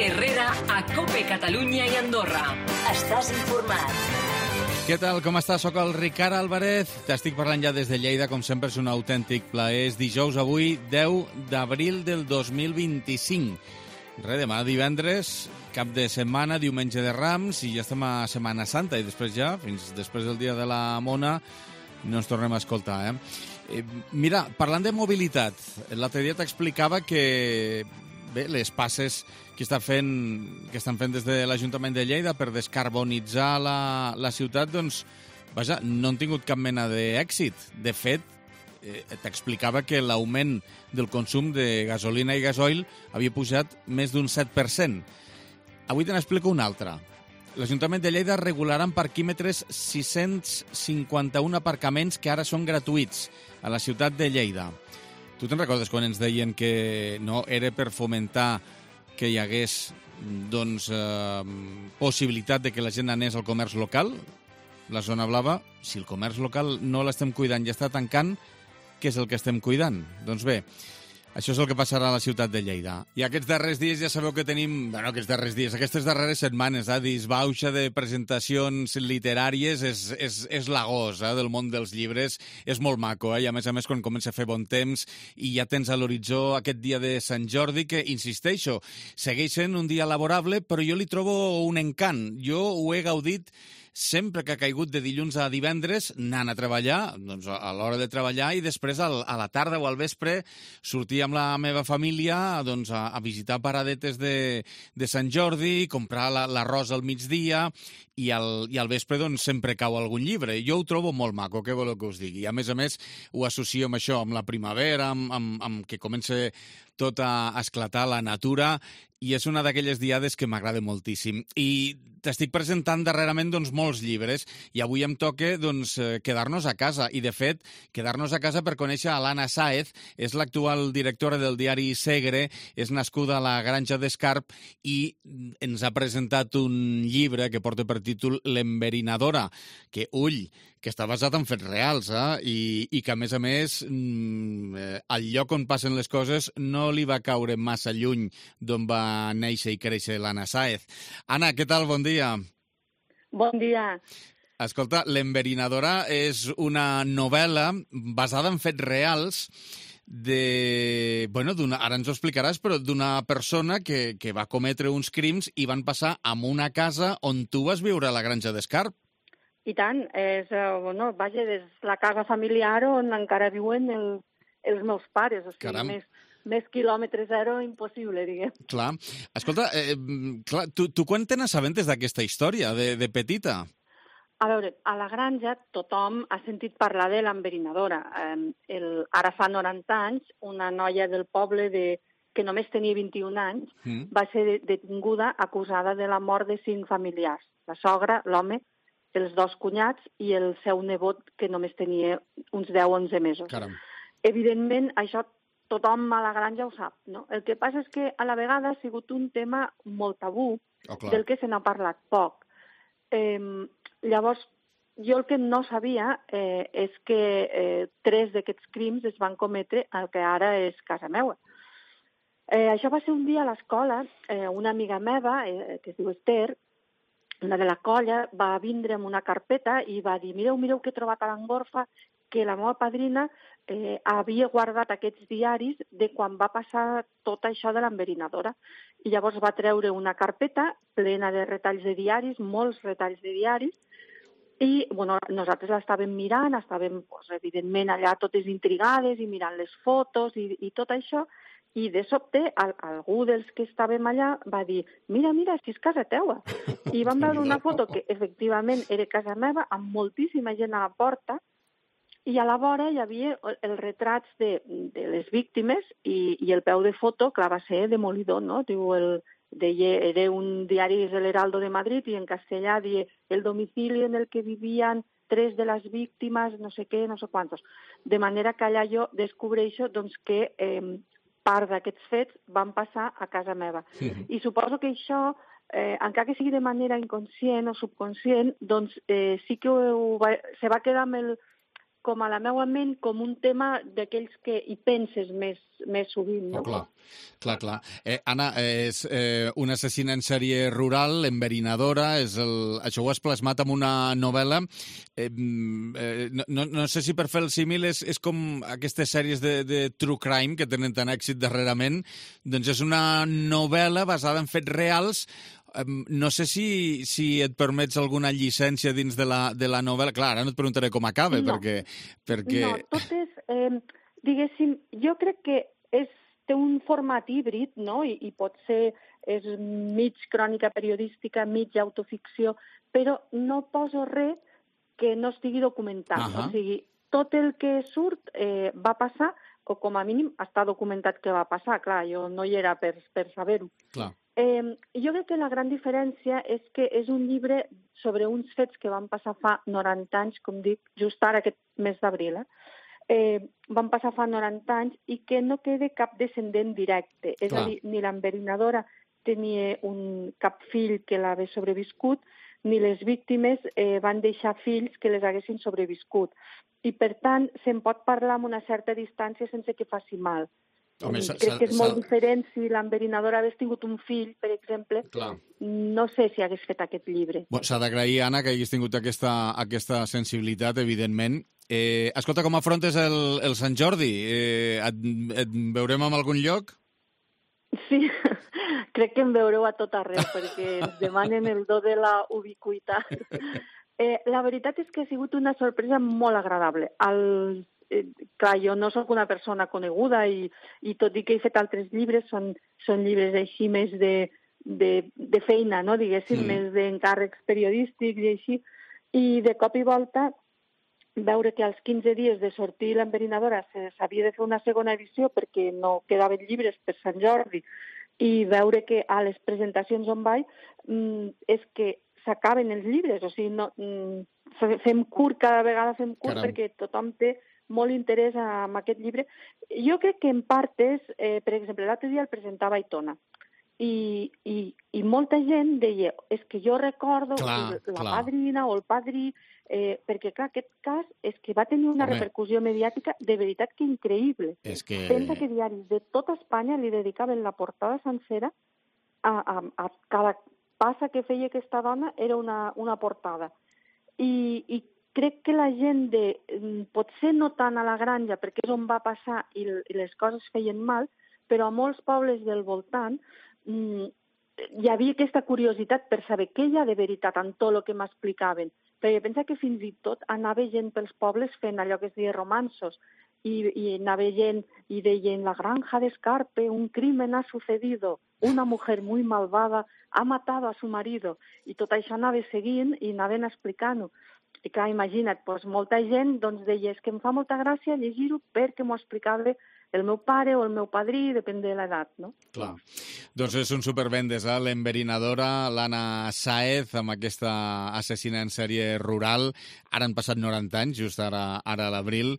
Herrera a COPE Catalunya i Andorra. Estàs informat. Què tal, com estàs? Soc el Ricard Álvarez. T'estic parlant ja des de Lleida, com sempre és un autèntic plaer. És dijous avui, 10 d'abril del 2025. Demà divendres, cap de setmana, diumenge de Rams, i ja estem a Setmana Santa, i després ja, fins després del dia de la Mona, no ens tornem a escoltar, Mira, parlant de mobilitat, l'altre dia t'explicava que bé, les passes que estan fent des de l'Ajuntament de Lleida per descarbonitzar la ciutat, doncs, vaja, no han tingut cap mena d'èxit. De fet, t'explicava que l'augment del consum de gasolina i gasoil havia pujat més d'un 7%. Avui te n'explico una altra. L'Ajuntament de Lleida regularà en parquímetres 651 aparcaments que ara són gratuïts a la ciutat de Lleida. Tu te'n recordes quan ens deien que no era per fomentar que hi hagués doncs, possibilitat de que la gent anés al comerç local? La zona blava, si el comerç local no l'estem cuidant i està tancant, què és el que estem cuidant? Doncs bé, això és el que passarà a la ciutat de Lleida. I aquests darrers dies ja sabeu que tenim... aquestes darreres setmanes, disbauxa de presentacions literàries és l'agost del món dels llibres. És molt maco, i a més, quan comença a fer bon temps i ja tens a l'horitzó aquest dia de Sant Jordi, que, insisteixo, segueix sent un dia laborable, però jo li trobo un encant. Jo ho he gaudit sempre que ha caigut de dilluns a divendres, anant a treballar, doncs a l'hora de treballar, i després a la tarda o al vespre sortir amb la meva família doncs, a visitar paradetes de Sant Jordi, comprar l'arròs al migdia, i al vespre doncs, sempre cau algun llibre. Jo ho trobo molt maco, què voleu que us digui? A més, ho associo amb això, amb la primavera, amb que comença tot a esclatar la natura, i és una d'aquelles diades que m'agrada moltíssim. I t'estic presentant darrerament doncs, molts llibres, i avui em toca doncs, quedar-nos a casa. I, de fet, quedar-nos a casa per conèixer a l'Anna Sáez, és l'actual directora del diari Segre, és nascuda a la Granja d'Escarp i ens ha presentat un llibre que porta per títol L'Enverinadora, que, que està basat en fets reals, i que, a més, el lloc on passen les coses no li va caure massa lluny d'on va néixer i créixer l'Anna Sáez. Anna, què tal? Bon dia. Bon dia. Escolta, L'Enverinadora és una novel·la basada en fets reals ara ens ho explicaràs, però d'una persona que va cometre uns crims i van passar a una casa on tu vas viure a la Granja d'Escarp. I tant, és la casa familiar on encara viuen els meus pares, o sigui, més quilòmetre zero impossible, diguem. Clar. Escolta, tu quan te n'assabentes d'aquesta història, de petita? A veure, a la Granja tothom ha sentit parlar de l'enverinadora. Ara fa 90 anys, una noia del poble que només tenia 21 anys va ser detinguda acusada de la mort de 5 familiars. La sogra, l'home, els 2 cunyats i el seu nebot, que només tenia uns 10-11 mesos. Caram. Evidentment, això tothom a la Granja ho sap, no? El que passa és que a la vegada ha sigut un tema molt tabú, del que se n'ha parlat poc. Llavors, jo el que no sabia és que 3 d'aquests crims es van cometre al que ara és casa meva. Això va ser un dia a l'escola, una amiga meva, que es diu Esther, una de la colla, va vindre amb una carpeta i va dir, mireu que he trobat a l'Angorfa que la meva padrina havia guardat aquests diaris de quan va passar tot això de l'enverinadora. I llavors va treure una carpeta plena de retalls de diaris, molts retalls de diaris, i nosaltres l'estàvem mirant, estàvem evidentment allà totes intrigades i mirant les fotos i tot això, i de sobte algú dels que estàvem allà va dir mira, si és casa teua. I vam veure una foto que efectivament era casa meva, amb moltíssima gent a la porta, i a la vora hi havia els retrats de les víctimes i el peu de foto, clar, va ser demolidor, no? Era un diari de l'Heraldo de Madrid i en castellà deia el domicili en el que vivían 3 de les víctimes, no sé què, no sé quantos. De manera que allà jo descobreixo doncs, que part d'aquests fets van passar a casa meva. I suposo que això, encara que sigui de manera inconscient o subconscient, doncs sí que se va quedar amb com a la meva ment com un tema d'aquells que hi penses més sovint. No? Clar. Anna, és una assassina en sèrie rural, enverinadora, això ho has plasmat en una novel·la. No sé si per fer el símil és com aquestes sèries de true crime que tenen tant èxit darrerament, doncs és una novel·la basada en fets reals. No sé si et permets alguna llicència dins de la novel·la. Clar, ara no et preguntaré com acaba, perquè... No, tot és... diguéssim, jo crec que té un format híbrid, no? I pot ser és mig crònica periodística, mig autoficció, però no poso res que no estigui documentat. O sigui, tot el que surt va passar, o com a mínim està documentat que va passar. Clar, jo no hi era per saber-ho. Clar. Jo crec que la gran diferència és que és un llibre sobre uns fets que van passar fa 90 anys, com dic, just ara aquest mes d'abril. Van passar fa 90 anys i que no queda cap descendent directe. És a dir, ni l'enverinadora tenia cap fill que l'hagués sobreviscut, ni les víctimes van deixar fills que les haguessin sobreviscut. I, per tant, se'n pot parlar amb una certa distància sense que faci mal. Home, crec que és molt diferent si l'enverinadora hagués tingut un fill, per exemple. Clar. No sé si hagués fet aquest llibre. S'ha d'agrair, Anna, que haguis tingut aquesta sensibilitat, evidentment. Escolta, com afrontes el Sant Jordi? Et veurem en algun lloc? Sí, crec que em veureu a tot arreu, perquè ens demanen el do de la ubiquitat. La veritat és que ha sigut una sorpresa molt agradable. Clar, jo no sóc una persona coneguda i tot i que he fet altres llibres, són llibres així més de feina, no? Diguéssim, més d'encàrrecs periodístics i així. I de cop i volta veure que als 15 dies de sortir l'enverinadora s'havia de fer una segona edició perquè no quedaven llibres per Sant Jordi i veure que a les presentacions on vaig és que s'acaben els llibres, o sigui, fem curt, cada vegada fem curt. Caram. Perquè tothom té molt interès en aquest llibre. Jo crec que en part és, per exemple, l'altre dia el presentava a Aitona i molta gent deia, és que jo recordo la padrina o el padrí, perquè clar, aquest cas és que va tenir una repercussió mediàtica de veritat que increïble. Pensa que diaris de tota Espanya li dedicaven la portada sencera a cada passa que feia aquesta dona era una portada. I crec que la gent potser no tant a la granja, perquè és on va passar i les coses feien mal, però a molts pobles del voltant hi havia aquesta curiositat per saber què hi ha de veritat en tot el que m'explicaven. Perquè pensa que fins i tot anava gent pels pobles fent allò que es deia romansos, y anava gent i deien la granja de Escarpe, un crimen ha sucedido, una mujer muy malvada ha matado a su marido, i tot això anava seguint i anaven explicant-ho. I clar, imagina't, molta gent deia que em fa molta gràcia llegir-ho perquè m'ho explicava el meu pare o el meu padrí, depèn de l'edat, no? Clar. Doncs és un supervendes, l'enverinadora, l'Anna Sáez, amb aquesta assassina en sèrie rural. Ara han passat 90 anys, just ara a l'abril,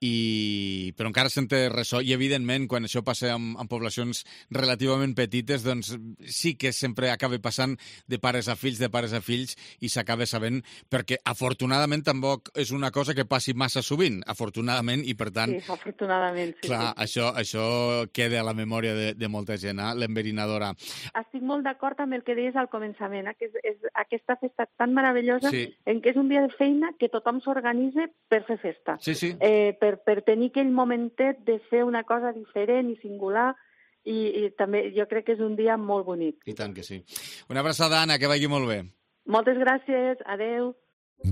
però encara se'n té ressò i evidentment quan això passa en poblacions relativament petites doncs sí que sempre acaba passant de pares a fills i s'acaba sabent perquè afortunadament tampoc és una cosa que passi massa sovint, afortunadament, i per tant... Sí, afortunadament, sí. Clar, sí. Això queda a la memòria de molta gent, l'enverinadora. Estic molt d'acord amb el que deies al començament, que és aquesta festa tan meravellosa en què és un dia de feina que tothom s'organitza per fer festa. Sí. Per tenir aquell momentet de fer una cosa diferent i singular i també jo crec que és un dia molt bonic. I tant que sí. Una abraçada, Anna, que vagi molt bé. Moltes gràcies, adeu.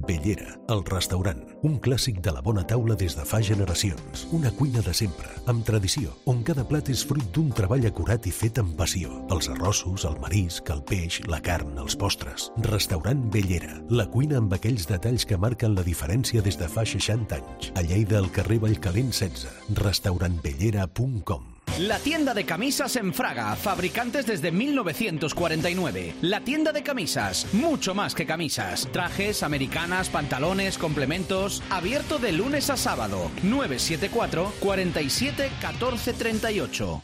Bellera, el restaurant, un clàssic de la bona taula des de fa generacions. Una cuina de sempre, amb tradició, on cada plat és fruit d'un treball acurat i fet amb passió. Els arrossos, el marisc, el peix, la carn, els postres. Restaurant Bellera, la cuina amb aquells detalls que marquen la diferència des de fa 60 anys. A Lleida, al carrer Vallcalent 16, restaurantbellera.com. La tienda de camisas en Fraga, fabricantes desde 1949. La tienda de camisas, mucho más que camisas. Trajes, americanas, pantalones, complementos. Abierto de lunes a sábado. 974 47 14 38.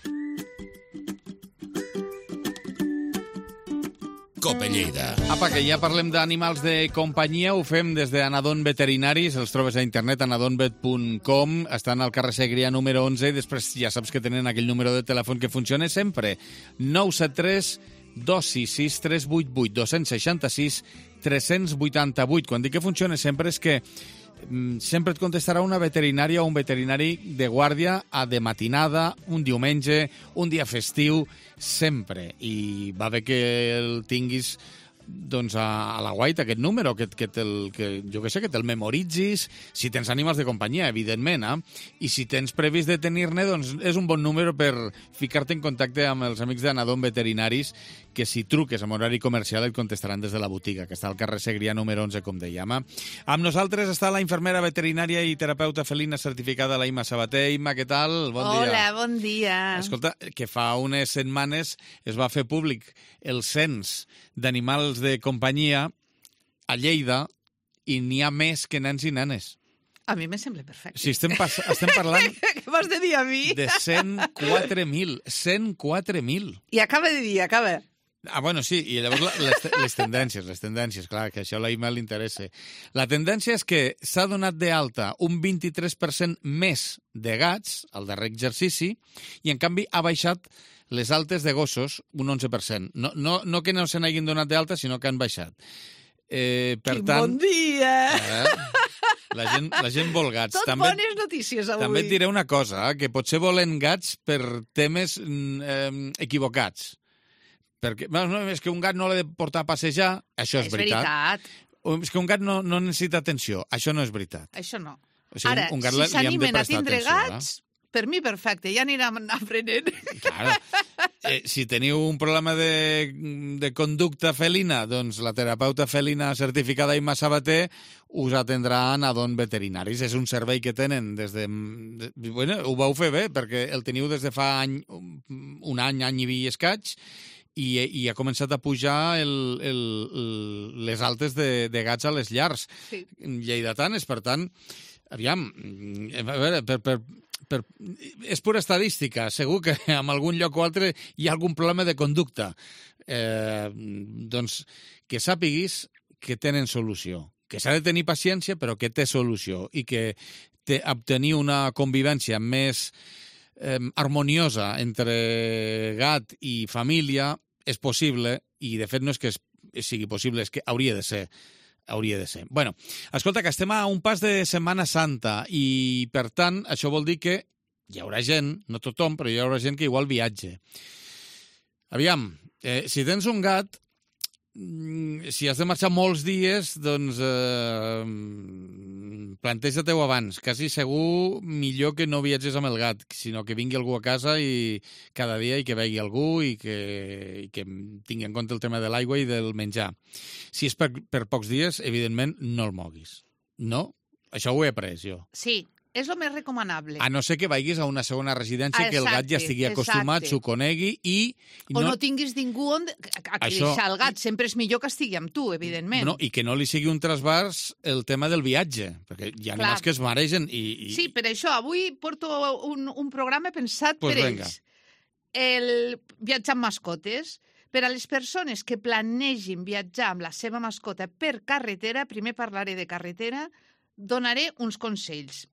Cope Lleida. Apa, que ja parlem d'animals de companyia, ho fem des d'Anadon Veterinaris, els trobes a internet, anadonvet.com, estan al carrer Segrià número 11, i després ja saps que tenen aquell número de telèfon que funciona sempre, 973 266 388 266 388. Quan dic que funciona sempre és que sempre et contestarà una veterinària o un veterinari de guàrdia de matinada, un diumenge, un dia festiu, sempre. I va bé que el tinguis doncs a la guaita, aquest número, que jo que sé, que te'l memoritzis, si tens ànimals de companyia, evidentment, i si tens previst de tenir-ne, doncs és un bon número per ficar-te en contacte amb els amics d'Anadon Veterinaris, que si truques amb horari comercial et contestaran des de la botiga, que està al carrer Segrià número 11, com dèiem. Amb nosaltres està la infermera veterinària i terapeuta felina certificada, la Imma Sabater. Imma, què tal? Bon dia. Hola, bon dia. Escolta, que fa unes setmanes es va fer públic el cens d'animals de companyia a Lleida i n'hi ha més que nens i nenes. A mi me sembla perfecte. Si estem parlant Què m'has de dir a mi? de 104.000. 104.000. I acaba de dir, acaba. Bueno, sí, i llavors les tendències, clar, que això a la Imma li interessa. La tendència és que s'ha donat d'alta un 23% més de gats al darrer exercici i, en canvi, ha baixat les altes de gossos un 11%. No que no se n'hagin donat d'alta, sinó que han baixat. Per tant, bon dia! La gent vol gats. Tot bones notícies avui. També et diré una cosa, que potser volen gats per temes equivocats. Perquè és que un gat no l'ha de portar a passejar, això és veritat. És que un gat no necessita atenció, això no és veritat. Això no. O sigui, Ara, si s'animen a tindre gats, per mi perfecte, ja anirem aprenent. Claro. Si teniu un problema de conducta felina, doncs la terapeuta felina certificada Imma Sabater us atendrà a Anadon Veterinaris. És un servei que tenen des de... Bueno, ho vau fer bé, perquè el teniu des de fa un any i escaig, i ha començat a pujar les altes de gats a les llars lleidatanes. Per tant, aviam, a veure, és pura estadística. Segur que en algun lloc o altre hi ha algun problema de conducta. Doncs que sàpiguis que tenen solució. Que s'ha de tenir paciència, però que té solució. I que obtenir una convivència més harmoniosa entre gat i família és possible, i de fet no és que sigui possible, és que hauria de ser. Bueno, escolta, que estem a un pas de Setmana Santa i, per tant, això vol dir que hi haurà gent, no tothom, però hi haurà gent que igual viatge. Aviam, si tens un gat, si has de marxar molts dies, doncs planteja-t'ho abans. Quasi segur millor que no viatges amb el gat, sinó que vingui algú a casa i cada dia i que vegi algú i que tingui en compte el tema de l'aigua i del menjar. Si és per pocs dies, evidentment, no el moguis. No? Això ho he après jo. Sí, és el més recomanable. A no ser que vagis a una segona residència, que el gat ja estigui acostumat, s'ho conegui i... O no tinguis ningú on deixar el gat. Sempre és millor que estigui amb tu, evidentment. No, i que no li sigui un trasbars el tema del viatge, perquè hi ha animals que es maregen i... Sí, per això avui porto un programa pensat per ells. El viatjar amb mascotes. Per a les persones que planegin viatjar amb la seva mascota per carretera, primer parlaré de carretera, donaré uns consells.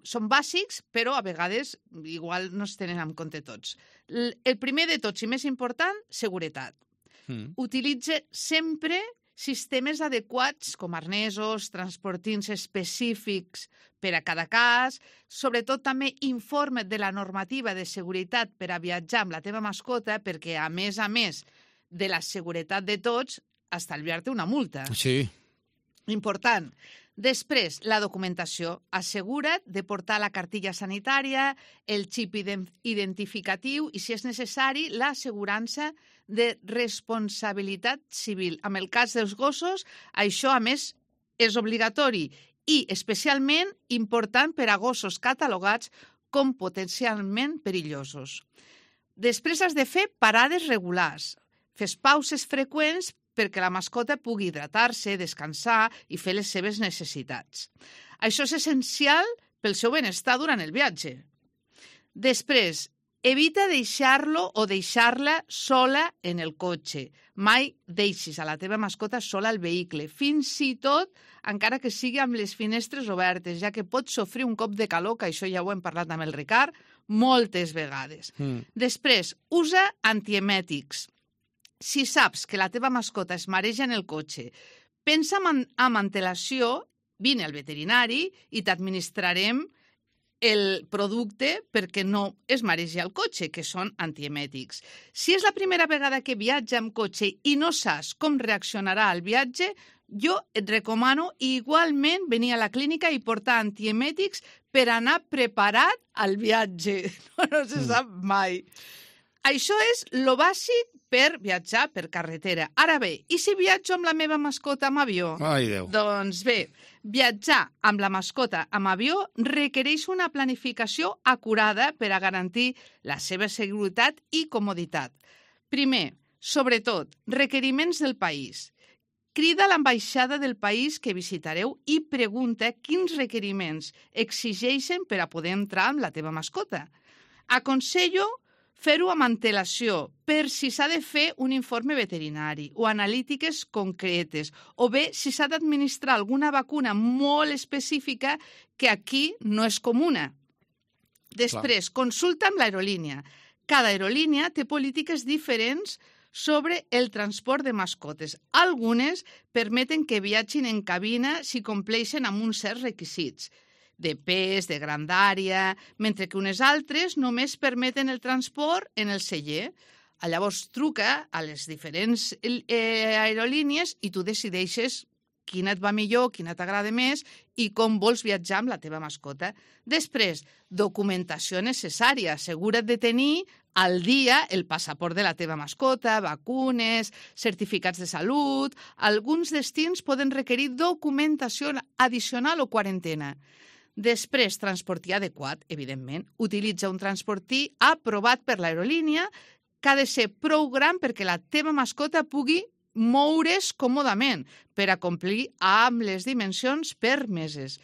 Són bàsics, però a vegades igual no es tenen en compte tots. El primer de tots i més important, seguretat. Utilitza sempre sistemes adequats com arnesos, transportins específics per a cada cas. Sobretot també informa't de la normativa de seguretat per a viatjar amb la teva mascota, perquè a més de la seguretat de tots, estalviar-te una multa. Sí. Important. Després, la documentació. Assegura't de portar la cartilla sanitària, el xip identificatiu i, si és necessari, l'assegurança de responsabilitat civil. En el cas dels gossos, això, a més, és obligatori i especialment important per a gossos catalogats com potencialment perillosos. Després has de fer parades regulars. Fes pauses freqüents perquè la mascota pugui hidratar-se, descansar i fer les seves necessitats. Això és essencial pel seu benestar durant el viatge. Després, Evita deixar-lo o deixar-la sola en el cotxe. Mai deixis a la teva mascota sola al vehicle, fins i tot encara que sigui amb les finestres obertes, ja que pot sofrir un cop de calor, que això ja ho hem parlat amb el Ricard moltes vegades. Després, usa antiemètics. Si saps que la teva mascota es mareja en el cotxe, pensa amb antelació, vine al veterinari i t'administrarem el producte perquè no es maregi al cotxe, que són antiemètics. Si és la primera vegada que viatja amb cotxe i no saps com reaccionarà al viatge, jo et recomano igualment venir a la clínica i portar antiemètics per anar preparat al viatge. No se sap mai. Això és lo bàsic per viatjar per carretera. Ara bé, i si viatjo amb la meva mascota amb avió? Ai, Déu. Doncs bé, viatjar amb la mascota amb avió requereix una planificació acurada per a garantir la seva seguretat i comoditat. Primer, sobretot, requeriments del país. Crida a l'ambaixada del país que visitareu i pregunta quins requeriments exigeixen per a poder entrar amb la teva mascota. Aconsello fer-ho amb antelació, per si s'ha de fer un informe veterinari o analítiques concretes, o bé si s'ha d'administrar alguna vacuna molt específica que aquí no és comuna. Després, consulta amb l'aerolínia. Cada aerolínia té polítiques diferents sobre el transport de mascotes. Algunes permeten que viatgin en cabina si compleixen amb uns certs requisits de pes, de grandària, mentre que unes altres només permeten el transport en el celler. Llavors truca a les diferents aerolínies i tu decideixes quina et va millor, quina t'agrada més i com vols viatjar amb la teva mascota. Després, documentació necessària. Assegura't de tenir al dia el passaport de la teva mascota, vacunes, certificats de salut. Alguns destins poden requerir documentació addicional o quarantena. Després, transportí adequat, evidentment. Utilitza un transportí aprovat per l'aerolínia que ha de ser prou gran perquè la teva mascota pugui moure's còmodament per a complir amb les dimensions permeses.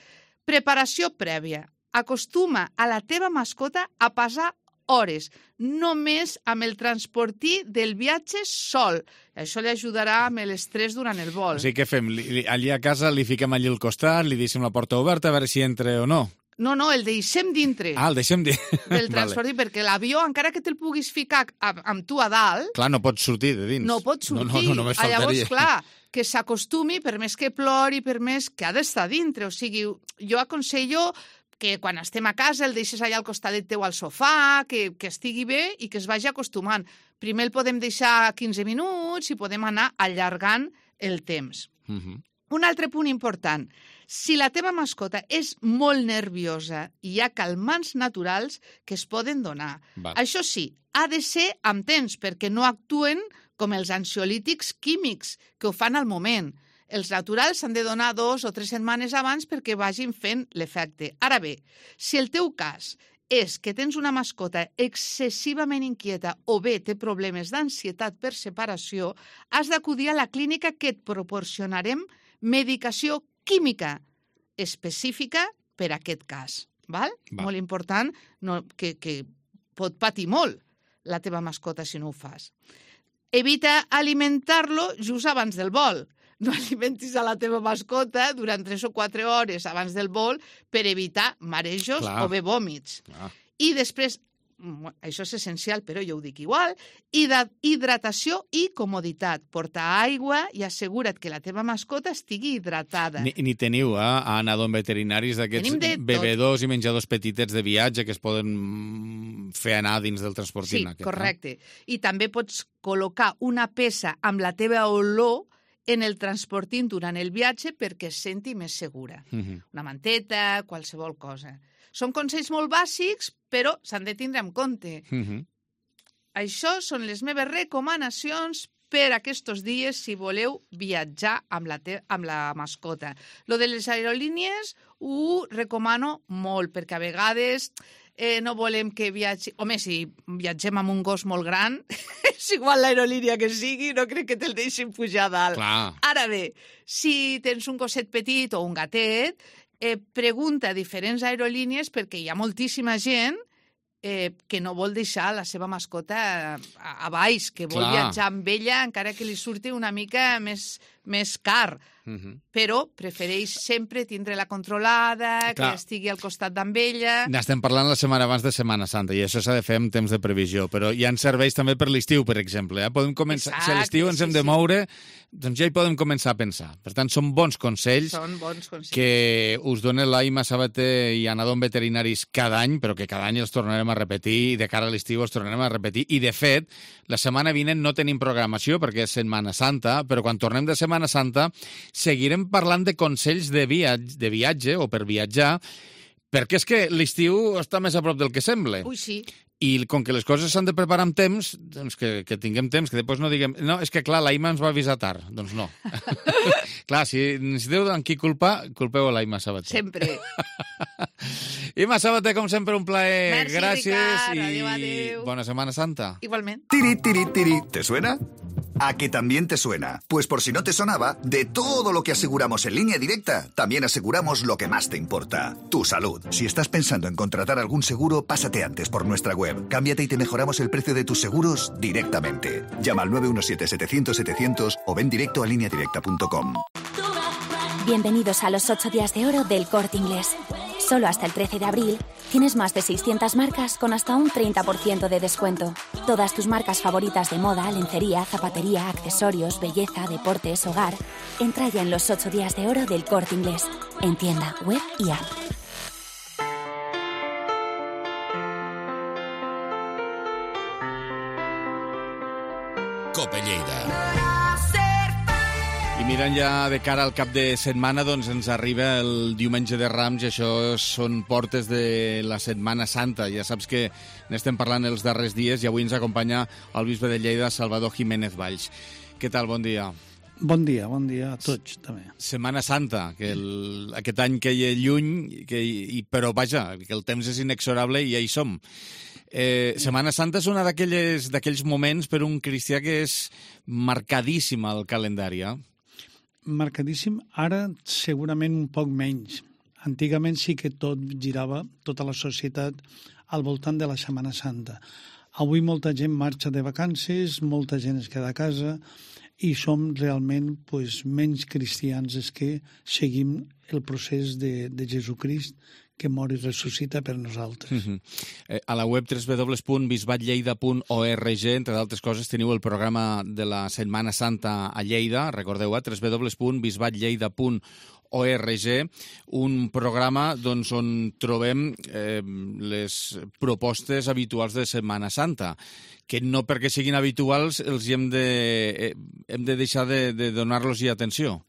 Preparació prèvia. Acostuma a la teva mascota a passar hores, només amb el transportí del viatge sol. Això li ajudarà amb l'estrès durant el vol. O sigui, què fem? Allí a casa li fiquem allí al costat, li deixem la porta oberta a veure si entra o no? No, el deixem dintre. El deixem dintre. Del transportí, perquè l'avió, encara que te'l puguis ficar amb tu a dalt... Clar, no pot sortir de dins. No pot sortir. No, només faltaria. Llavors, clar, que s'acostumi, per més que plori, per més que ha d'estar dintre. O sigui, jo aconsello que quan estem a casa el deixes allà al costadet teu al sofà, que estigui bé i que es vagi acostumant. Primer el podem deixar 15 minuts i podem anar allargant el temps. Un altre punt important. Si la teva mascota és molt nerviosa, hi ha calmants naturals que es poden donar. Això sí, ha de ser amb temps, perquè no actuen com els ansiolítics químics, que ho fan al moment. Els naturals s'han de donar 2 o 3 setmanes abans perquè vagin fent l'efecte. Ara bé, si el teu cas és que tens una mascota excessivament inquieta o bé té problemes d'ansietat per separació, has d'acudir a la clínica que et proporcionarem medicació química específica per a aquest cas. Val? Molt important, que pot patir molt la teva mascota si no ho fas. Evita alimentar-lo just abans del vol. No alimentis a la teva mascota durant 3 o 4 hores abans del vol per evitar marejos o bé vòmits. I després, això és essencial, però jo ho dic igual, hidratació i comoditat. Porta aigua i assegura't que la teva mascota estigui hidratada. Ni teniu, a anar amb veterinaris d'aquests bebedors i menjadors petitets de viatge que es poden fer anar dins del transportint. Sí, correcte. I també pots col·locar una peça amb la teva olor en el transportint durant el viatge perquè es senti més segura. Una manteta, qualsevol cosa. Són consells molt bàsics, però s'han de tindre en compte. Això són les meves recomanacions per aquests dies si voleu viatjar amb la mascota. Lo de les aerolínies ho recomano molt, perquè a vegades no volem que viatgi... Home, si viatgem amb un gos molt gran, és igual l'aerolínia que sigui, no crec que te'l deixin pujar a dalt. Clar. Ara bé, si tens un gosset petit o un gatet, pregunta a diferents aerolínies perquè hi ha moltíssima gent que no vol deixar la seva mascota a baix, que vol viatjar amb ella encara que li surti una mica més car. Però prefereix sempre tindre-la controlada, que estigui al costat amb ella. N'estem parlant la setmana abans de Setmana Santa i això s'ha de fer en temps de previsió, però ja ens serveix també per l'estiu, per exemple. Podem començar, si a l'estiu ens hem de moure, doncs ja hi podem començar a pensar. Per tant, són bons consells que us dona l'Aima Sabater i Anadom Veterinaris cada any, però que cada any els tornarem a repetir i de cara a l'estiu els tornarem a repetir. I, de fet, la setmana vinent no tenim programació perquè és Setmana Santa, però quan tornem de Setmana Santa seguirem parlant de consells de viatge o per viatjar, perquè és que l'estiu està més a prop del que sembla. Ui, sí. I com que les coses s'han de preparar amb temps, doncs que tinguem temps, que després no diguem... No, és que clar, l'Aima ens va avisar tard. Doncs no. Clar, si necessiteu amb qui culpar, culpeu a l'Aima Sabater. Sempre. Ima Sabater, com sempre, un plaer. Merci, gràcies. Ricard. Adéu. Bona Setmana Santa. Igualment. Tiri, tiri, tiri. ¿Te suena? ¿A que también te suena? Pues por si no te sonaba, de todo lo que aseguramos en Línea Directa, también aseguramos lo que más te importa, tu salud. Si estás pensando en contratar algún seguro, pásate antes por nuestra web. Cámbiate y te mejoramos el precio de tus seguros directamente. Llama al 917-700-700 o ven directo a lineadirecta.com. Bienvenidos a los 8 días de oro del Corte Inglés. Solo hasta el 13 de abril tienes más de 600 marcas con hasta un 30% de descuento. Todas tus marcas favoritas de moda, lencería, zapatería, accesorios, belleza, deportes, hogar. Entra ya en los 8 días de oro del Corte Inglés. En tienda, web y app. Cope Lleida. I mirant ja de cara al cap de setmana, doncs ens arriba el diumenge de Rams i això són portes de la Setmana Santa. Ja saps que n'estem parlant els darrers dies i avui ens acompanya el bisbe de Lleida, Salvador Jiménez Valls. Què tal? Bon dia. Bon dia a tots, també. Setmana Santa, que aquest any que hi ha lluny, però vaja, que el temps és inexorable i ja hi som. Setmana Santa és un d'aquells moments per un cristià que és marcadíssim al calendari, Marcadíssim, ara segurament un poc menys. Antigament sí que tot girava, tota la societat, al voltant de la Setmana Santa. Avui molta gent marxa de vacances, molta gent es queda a casa i som realment menys cristians els que seguim el procés de Jesucrist que mor i ressuscita per nosaltres. A la web www.bisbatlleida.org, entre d'altres coses, teniu el programa de la Setmana Santa a Lleida, recordeu, www.bisbatlleida.org, un programa on trobem les propostes habituals de Setmana Santa, que no perquè siguin habituals els hem de deixar de donar-los atenció.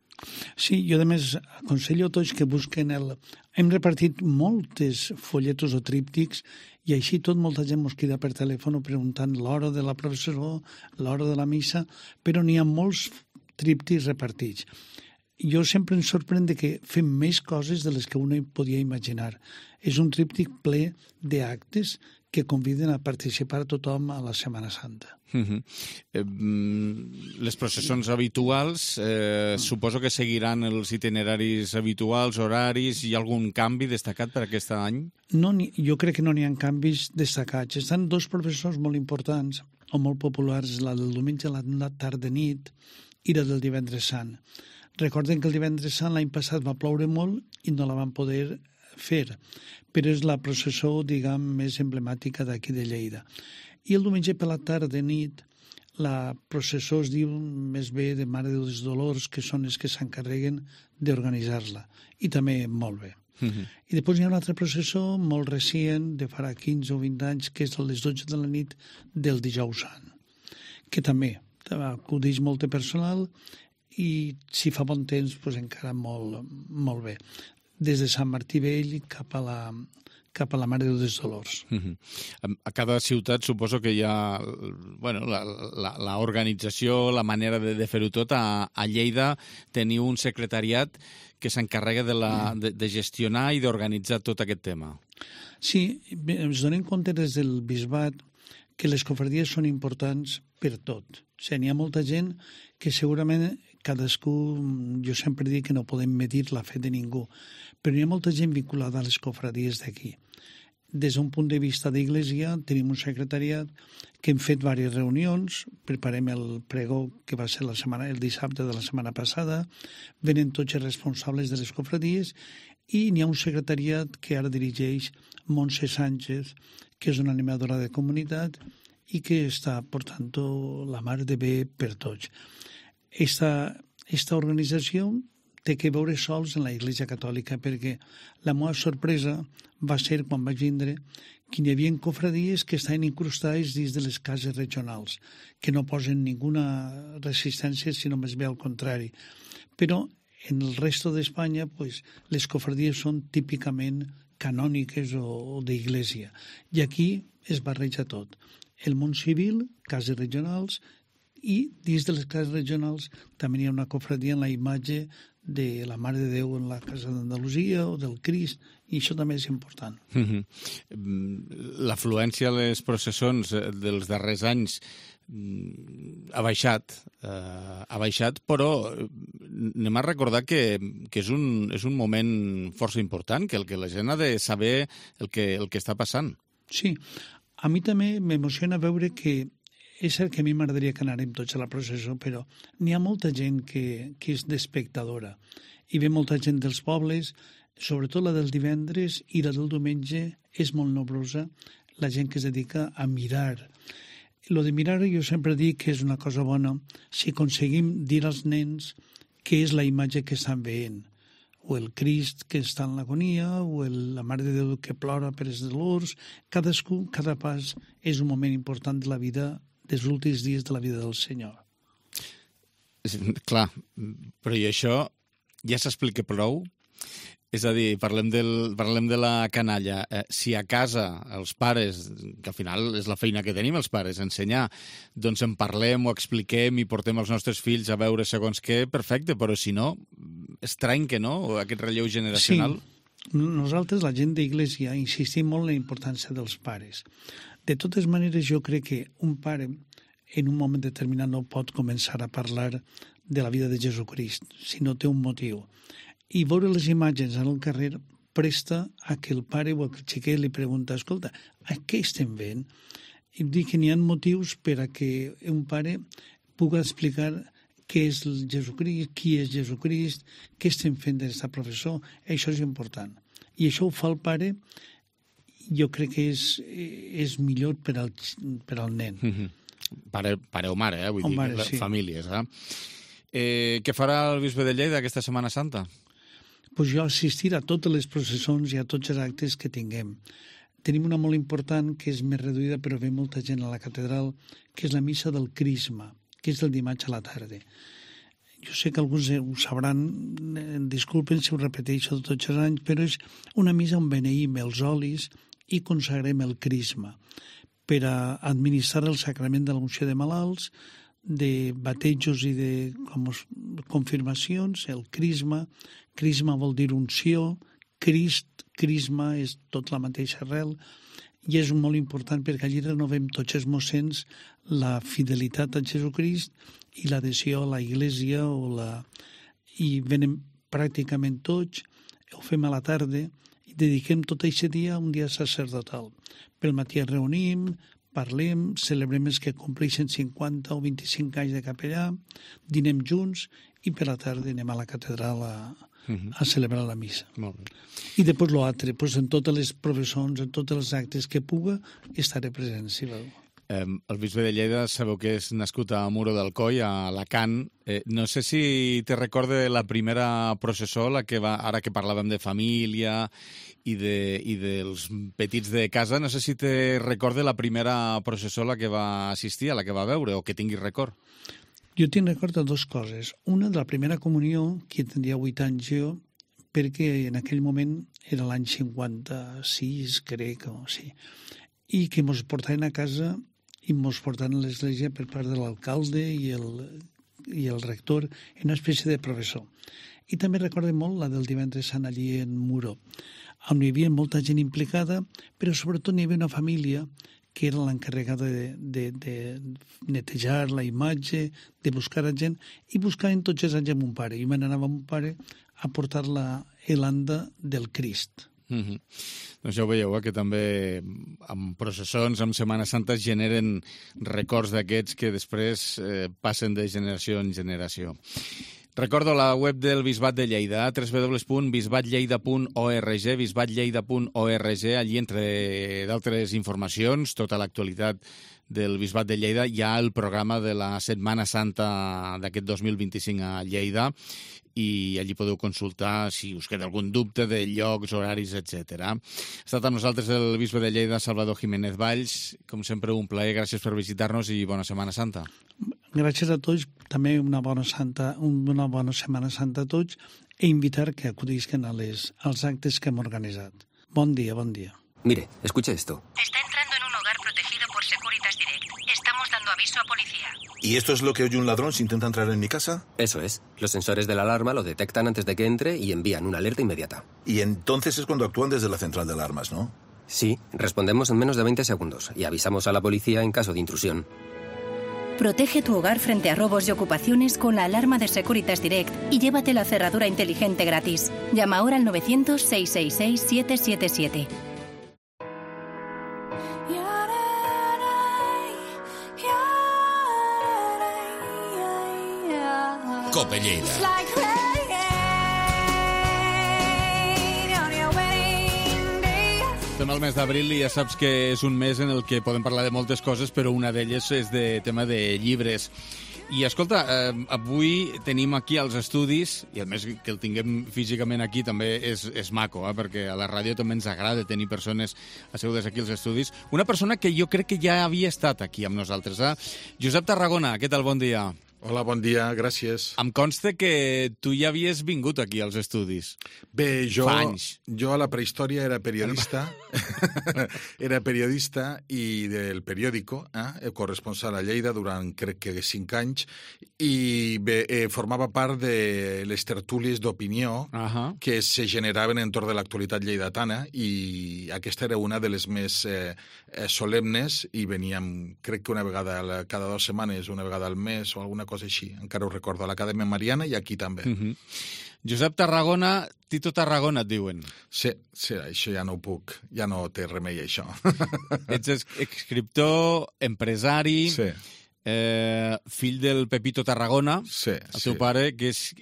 Sí, jo a més aconsello a tots que busquen Hem repartit moltes folletos o tríptics i així molta gent mos crida per telèfon preguntant l'hora de la processó, l'hora de la missa, però n'hi ha molts tríptics repartits. Jo sempre em sorprèn que fem més coses de les que uno podia imaginar. És un tríptic ple d'actes que conviden a participar tothom a la Setmana Santa. Les processons habituals suposo que seguiran els itineraris habituals, horaris. Hi ha algun canvi destacat per aquest any? No, jo crec que no n'hi ha canvis destacats. Estan dos processons molt importants o molt populars, la del diumenge a la tarda-nit i la del divendres sant. Recorden que el divendres sant l'any passat va ploure molt i no la van poder fer, però és la processó, més emblemàtica d'aquí de Lleida. I el diumenge per la tarda-nit la processó es diu més bé de Mare dels Dolors, que són els que s'encarreguen d'organitzar-la, i també molt bé. I després hi ha una altra processó molt recent, de farà 15 o 20 anys, que és a les 12 de la nit del dijous sant, que també acudeix molt de personal i si fa bon temps encara molt bé. Des de Sant Martí Vell cap a la Mare de Déu Dolors. A cada ciutat suposo que hi ha l'organització, la manera de fer-ho tot. A Lleida teniu un secretariat que s'encarrega de gestionar i d'organitzar tot aquest tema. Sí, ens donem compte des del bisbat que les cofradies són importants per tot. N'hi ha molta gent que segurament cadascú, jo sempre dic que no podem medir la fe de ningú, però hi ha molta gent vinculada a les cofradies d'aquí. des d'un punt de vista d'Iglésia, tenim un secretariat que hem fet diverses reunions, preparem el pregó que va ser el dissabte de la setmana passada, venen tots els responsables de les cofradies i n'hi ha un secretariat que ara dirigeix Montse Sánchez, que és una animadora de comunitat i que està portant la mar de bé per tots. Esta organització té que veure sols en la Iglesia Catòlica, perquè la meva sorpresa va ser quan vaig vindre que hi havia cofradies que estaven incrustades dins de les cases regionals, que no posen ninguna resistència, sinó més bé al contrari. Però en el resto d'Espanya les cofradies són típicament canòniques o d'Iglésia. I aquí es barreja tot. El món civil, cases regionals, i dins de les cases regionals també hi ha una cofradia en la imatge de la Mare de Déu en la Casa d'Andalusia o del Crist, i això també és important. L'afluència a les processons dels darrers anys ha baixat, però anem a recordar que és un moment força important, que la gent ha de saber el que està passant. Sí, a mi també m'emociona veure que és cert que a mi m'agradaria que anàrem tots a la processó, però n'hi ha molta gent que és d'espectadora. Hi ve molta gent dels pobles, sobretot la del divendres i la del diumenge és molt nombrosa, la gent que es dedica a mirar. Lo de mirar jo sempre dic que és una cosa bona si aconseguim dir als nens què és la imatge que estan veient, o el Crist que està en l'agonia, o la Mare de Déu que plora per els dolors. Cadascú, cada pas és un moment important de la vida, dels últims dies de la vida del Senyor. Clar, però i això ja s'explica prou? És a dir, parlem de la canalla. Si a casa els pares, que al final és la feina que tenim els pares, ensenyar, doncs en parlem, ho expliquem i portem els nostres fills a veure segons què, perfecte, però si no, estrany que no, aquest relleu generacional. Sí, nosaltres, la gent d'Iglésia, insistim molt en la importància dels pares. De totes maneres, jo crec que un pare en un moment determinat no pot començar a parlar de la vida de Jesucrist si no té un motiu. I veure les imatges en el carrer presta a que el pare o el xiquet li pregunta, escolta, a què estem veient? I dic que n'hi ha motius per a que un pare pugui explicar què és Jesucrist, qui és Jesucrist, què estem fent d'aquesta professó. Això és important. I això ho fa el pare, jo crec que és millor per al nen. Pare o mare, vull dir, mare, sí. Famílies. Què farà el bisbe de Lleida aquesta Setmana Santa? Pues jo assistir a totes les processons i a tots els actes que tinguem. Tenim una molt important que és més reduïda, però ve molta gent a la catedral, que és la missa del Crisma, que és el dimarts a la tarda. Jo sé que alguns ho sabran, disculpen si ho repeteixo tots els anys, però és una missa on beneïm els olis i consagrem el Crisma per a administrar el sacrament de l'unció de malalts, de batejos i de confirmacions, el Crisma. Crisma vol dir unció, Crist, Crisma és tot la mateixa arrel, i és molt important perquè allí renovem tots els mossens la fidelitat a Jesucrist i l'adhesió a la Iglésia, i venen pràcticament tots, ho fem a la tarda, i dediquem tot aquest dia a un dia sacerdotal. Pel matí ens reunim, parlem, celebrem els que compleixen 50 o 25 anys de capellà, dinem junts i per la tarda anem a la catedral a celebrar la missa. Molt bé. I després l'altre, en totes les professons, en tots els actes que puga, estaré present, si veu. El bisbe de Lleida sabeu que és nascut a Muro d'Alcoi, a Alacant. No sé si te recorda la primera processó, la que va, ara que parlàvem de família i dels petits de casa, no sé si te recorda la primera processó a la que va assistir, a la que va veure, o que tinguis record. Jo tinc record de dues coses. Una, de la primera comunió, que tindria 8 anys jo, perquè en aquell moment era l'any 56, crec, o sí, i que mos portaven a casa i mos portaven a l'església per part de l'alcalde i el rector en una espècie de professor. I també recordo molt la del divendres sant allí en Muro, on hi havia molta gent implicada, però sobretot hi havia una família que era l'encarregada de netejar la imatge, de buscar a gent, i buscaven tots els anys amb un pare. I me n'anava amb un pare a portar l'anda del Crist. Doncs ja ho veieu, que també amb processons, amb Setmana Santa, es generen records d'aquests que després passen de generació en generació. Recordo la web del Bisbat de Lleida, www.bisbatlleida.org, bisbatlleida.org. Allí, entre d'altres informacions, tota l'actualitat del Bisbat de Lleida, hi ha el programa de la Setmana Santa d'aquest 2025 a Lleida, i allí podeu consultar si us queda algun dubte de llocs, horaris, etc. Ha estat amb nosaltres el bisbe de Lleida, Salvador Jiménez Valls. Com sempre, un plaer. Gràcies per visitar-nos i bona Setmana Santa. Gràcies a tots. També una bona Setmana Santa a tots e invitar que acudisquen als actes que hem organitzat. Bon dia, bon dia. Mire, escuche esto. Está entrando en un hogar protegido por Securitas Direct. Estamos dando aviso a policía. ¿Y esto es lo que oye un ladrón si intenta entrar en mi casa? Eso es. Los sensores de la alarma lo detectan antes de que entre y envían una alerta inmediata. Y entonces es cuando actúan desde la central de alarmas, ¿no? Sí, respondemos en menos de 20 segundos y avisamos a la policía en caso de intrusión. Protege tu hogar frente a robos y ocupaciones con la alarma de Securitas Direct y llévate la cerradura inteligente gratis. Llama ahora al 900-666-777. Cope Lleida. Estem al mes d'abril i ja saps que és un mes en el que podem parlar de moltes coses, però una d'elles és de tema de llibres. I escolta, avui tenim aquí als estudis, i a més que el tinguem físicament aquí també és maco, perquè a la ràdio també ens agrada tenir persones assegudes aquí als estudis. Una persona que jo crec que ja havia estat aquí amb nosaltres. Josep Tarragona, què tal? Bon dia. Hola, bon dia, gràcies. Em consta que tu ja havies vingut aquí als estudis. Bé, jo a la prehistòria era periodista, i del periòdico, corresponsal a Lleida durant crec que 5 anys, i bé, formava part de les tertúlies d'opinió que se generaven entorn de l'actualitat lleidatana, i aquesta era una de les més solemnes, i veníem, crec que una vegada cada 2 setmanes, una vegada al mes o alguna cosa així, encara ho recordo, a l'Acadèmia Mariana i aquí també. Josep Tarragona, Tito Tarragona et diuen. Sí, això ja no ho puc, ja no té remei això. Ets escriptor, empresari, fill del Pepito Tarragona, el teu pare, que és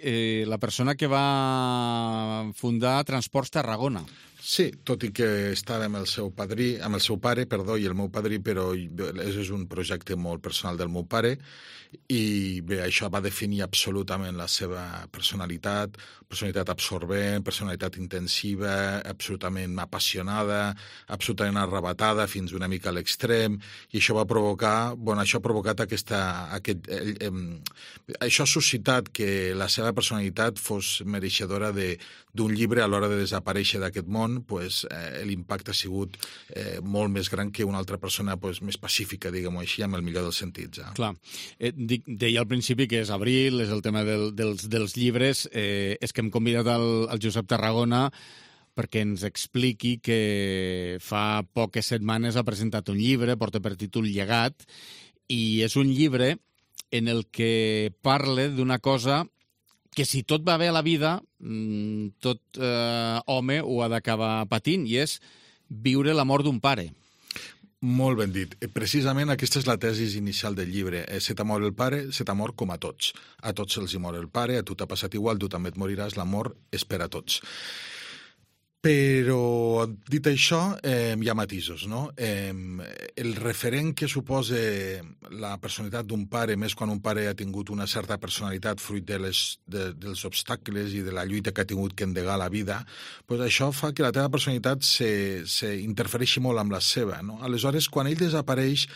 la persona que va fundar Transports Tarragona. Sí, tot i que estava amb el seu pare, i el meu padrí, però és un projecte molt personal del meu pare, i bé, això va definir absolutament la seva personalitat absorbent, personalitat intensiva, absolutament apassionada, absolutament arrabatada, fins una mica a l'extrem, i això va provocar, això ha provocat això ha suscitat que la seva personalitat fos mereixedora d'un llibre. A l'hora de desaparèixer d'aquest món, l'impacte ha sigut molt més gran que una altra persona més pacífica, diguem-ho així, amb el millor dels sentits. Clar. Deia al principi que és abril, és el tema dels llibres. És que hem convidat al Josep Tarragona perquè ens expliqui que fa poques setmanes ha presentat un llibre, porta per títol Llegat, i és un llibre en el que parla d'una cosa que si tot va bé a la vida, tot home ho ha d'acabar patint, i és viure la mort d'un pare. Molt ben dit. Precisament aquesta és la tesi inicial del llibre. Se t'ha mort el pare, se t'ha mort com a tots. A tots se'ls hi mor el pare, a tu t'ha passat igual, tu també et moriràs, la mort és per a tots. Però, dit això, hi ha matisos, no? El referent que suposa la personalitat d'un pare, més quan un pare ha tingut una certa personalitat fruit dels obstacles i de la lluita que ha tingut que endegar la vida, això fa que la teva personalitat s'interfereixi molt amb la seva, no? Aleshores, quan ell desapareix,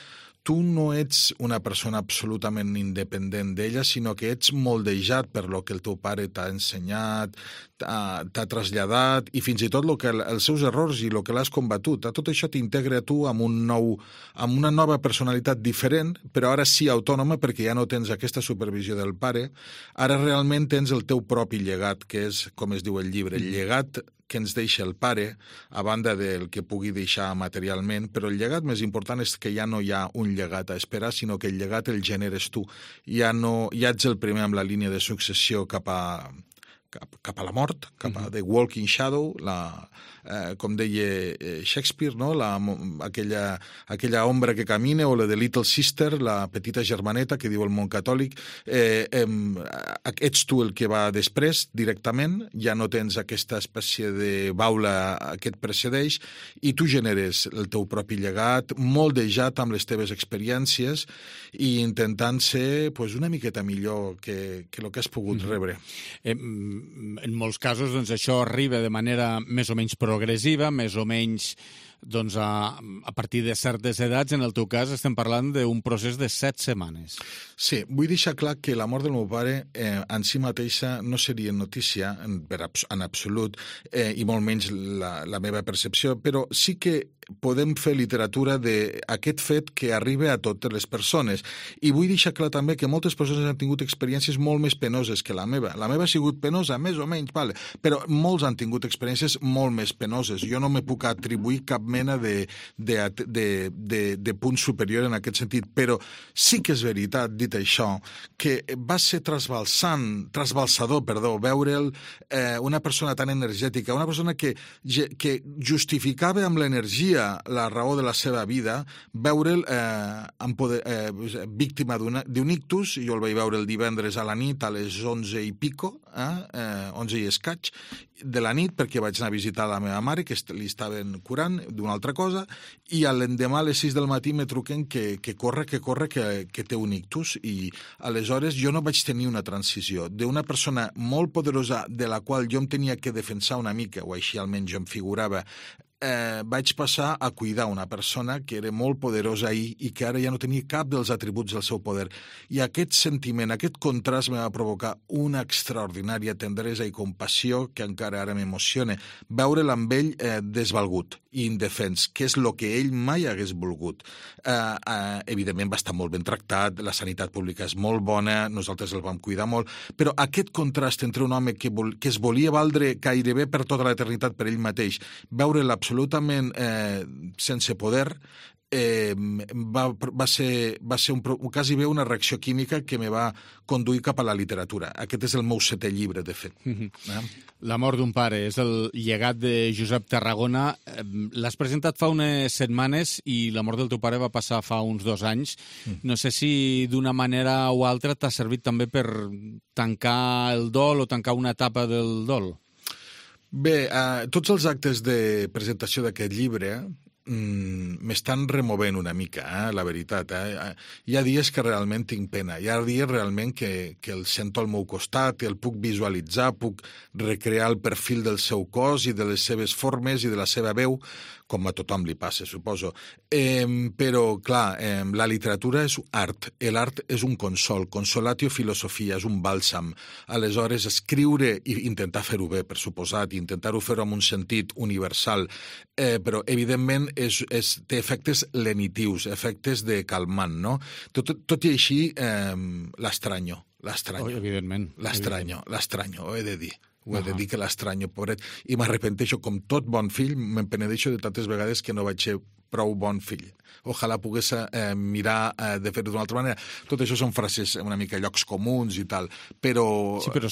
tu no ets una persona absolutament independent d'ella, sinó que ets moldejat per lo que el teu pare t'ha ensenyat, t'ha traslladat, i fins i tot els seus errors i el que l'has combatut. Tot això t'integra a tu amb una nova personalitat diferent, però ara sí autònoma, perquè ja no tens aquesta supervisió del pare. Ara realment tens el teu propi llegat, que és, com es diu el llibre, el llegat que ens deixa el pare, a banda del que pugui deixar materialment, però el llegat més important és que ja no hi ha un llegat a esperar, sinó que el llegat el generes tu. Ja ets el primer amb la línia de successió cap cap a la mort, cap a The Walking Shadow, com deia Shakespeare, no? aquella ombra que camina, o la de Little Sister, la petita germaneta que diu el món catòlic. Ets tu el que va després, directament, ja no tens aquesta espècie de baula que et precedeix, i tu generes el teu propi llegat, moldejat amb les teves experiències i intentant ser una miqueta millor que el que has pogut rebre. En molts casos això arriba de manera més o menys progressiva, més o menys a partir de certes edats. En el teu cas estem parlant d'un procés de 7 setmanes. Sí, vull deixar clar que la mort del meu pare en si mateixa no seria notícia en absolut, i molt menys la meva percepció, però sí que podem fer literatura d'aquest fet que arriba a totes les persones. I vull deixar clar també que moltes persones han tingut experiències molt més penoses que la meva. La meva ha sigut penosa, més o menys, però molts han tingut experiències molt més penoses. Jo no me puc atribuir cap mena de punt superior en aquest sentit, però sí que és veritat, dit això, que va ser trasbalsador, veure'l una persona tan energètica, una persona que justificava amb l'energia la raó de la seva vida, veure'l víctima d'un ictus. Jo el vaig veure el divendres a la nit a les 11 i pico, 11 i escaig de la nit, perquè vaig anar a visitar la meva mare, que li estaven curant d'una altra cosa, i l'endemà a les 6 del matí me truquen que corre, que té un ictus. I aleshores jo no vaig tenir una transició d'una persona molt poderosa de la qual jo em tenia que defensar una mica, o així almenys jo em figurava, vaig passar a cuidar una persona que era molt poderosa ahir i que ara ja no tenia cap dels atributs del seu poder. I aquest sentiment, aquest contrast me va provocar una extraordinària tendresa i compassió que encara ara m'emociona. Veure'l amb ell desvalgut i indefens, que és el que ell mai hagués volgut. Evidentment va estar molt ben tractat, la sanitat pública és molt bona, nosaltres el vam cuidar molt, però aquest contrast entre un home que es volia valdre gairebé per tota l'eternitat per ell mateix, veure'l absolutament sense poder, va ser quasi bé una reacció química que me va conduir cap a la literatura. Aquest és el meu 7è llibre, de fet. La mort d'un pare és el llegat de Josep Tarragona. L'has presentat fa unes setmanes i la mort del teu pare va passar fa uns 2 anys. No sé si d'una manera o altra t'ha servit també per tancar el dol o tancar una etapa del dol. Bé, tots els actes de presentació d'aquest llibre m'estan removent una mica, la veritat. Hi ha dies que realment tinc pena, hi ha dies realment que el sento al meu costat, el puc visualitzar, puc recrear el perfil del seu cos i de les seves formes i de la seva veu, com a tothom li passa, suposo. Però, clar, la literatura és art, l'art és un consol, consolatio filosofia, és un bàlsam. Aleshores, escriure i intentar fer-ho bé, per suposat, i intentar-ho fer-ho amb un sentit universal, però, evidentment, té efectes lenitius, efectes de calmant, no? Tot i així, l'estranyo. Evidentment. L'estranyo, ho he de dir. Ho he de dir que l'estranyo, pobret. I m'arrepenteixo, com tot bon fill, me'n penedeixo de tantes vegades que no vaig ser prou bon fill. Ojalà pogués mirar de fer-ho d'una altra manera. Tot això són frases una mica llocs comuns i tal, però... Sí, però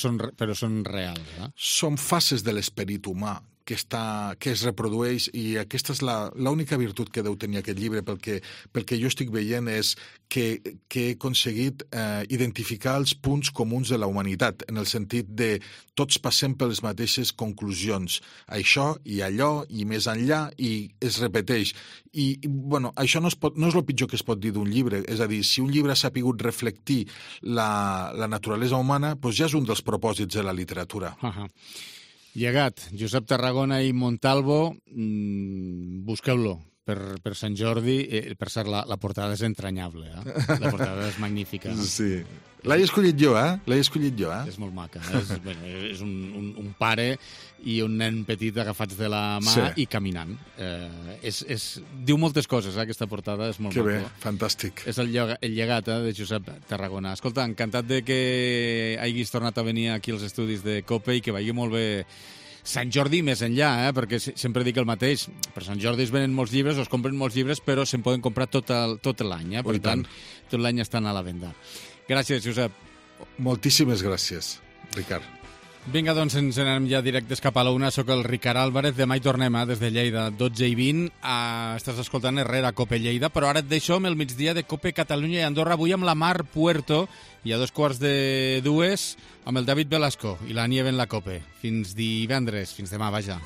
són reals, eh? Són fases de l'esperit humà que es reprodueix, i aquesta és l'única virtut que deu tenir aquest llibre, pel que jo estic veient, és que he aconseguit identificar els punts comuns de la humanitat, en el sentit de tots passem per les mateixes conclusions. Això i allò i més enllà, i es repeteix. I bueno, això no és el pitjor que es pot dir d'un llibre. És a dir, si un llibre ha sapigut reflectir la naturalesa humana, doncs ja és un dels propòsits de la literatura. Llegat, Josep Tarragona i Montalvo, busqueu-lo per Sant Jordi. Per cert, la portada és entranyable, La portada és magnífica. Sí. L'he escollit jo, És molt maca. És un pare i un nen petit agafats de la mà i caminant. Diu moltes coses, aquesta portada, és molt maca. Que bé, fantàstic. És el llegat de Josep Tarragona. Escolta, encantat de que hagis tornat a venir aquí als estudis de COPE i que vagi molt bé Sant Jordi més enllà, perquè sempre dic el mateix. Per Sant Jordi es venen molts llibres, es compren molts llibres, però se'n poden comprar tot l'any. Per tant, tot l'any estan a la venda. Gràcies, Josep. Moltíssimes gràcies, Ricard. Vinga, doncs ens anem ja directes cap a la una. Soc el Ricard Álvarez. Demà hi tornem, des de Lleida, 12:20. Estàs escoltant Herrera, Cope Lleida, però ara et deixo amb el migdia de Cope Catalunya i Andorra. Avui amb la Mar Puerto i a 2:15 amb el David Velasco i la Nieve en la Cope. Fins divendres, fins demà, vaja.